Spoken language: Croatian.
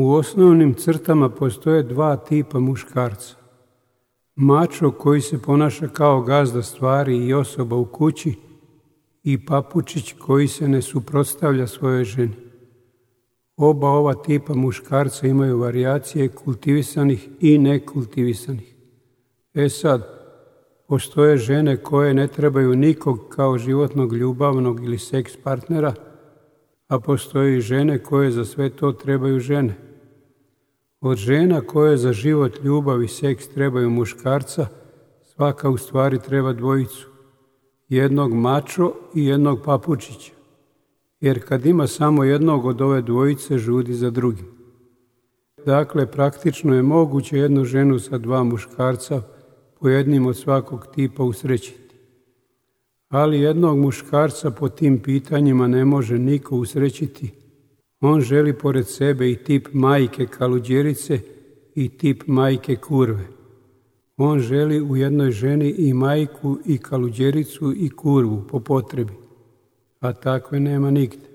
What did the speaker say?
U osnovnim crtama postoje dva tipa muškarca. Mačo koji se ponaša kao gazda stvari i osoba u kući i papučić koji se ne suprotstavlja svojoj ženi. Oba ova tipa muškarca imaju varijacije kultivisanih i nekultivisanih. Sad, postoje žene koje ne trebaju nikog kao životnog, ljubavnog ili seks partnera, a postoje i žene koje za sve to trebaju žene. Od žena koje za život, ljubav i seks trebaju muškarca, svaka u stvari treba dvojicu. Jednog mačo i jednog papučića. Jer kad ima samo jednog od ove dvojice, žudi za drugim. Dakle, praktično je moguće jednu ženu sa dva muškarca po jednim od svakog tipa usrećiti. Ali jednog muškarca po tim pitanjima ne može niko usrećiti. On želi pored sebe i tip majke kaluđerice i tip majke kurve. On želi u jednoj ženi i majku i kaluđericu i kurvu po potrebi, a takve nema nigde.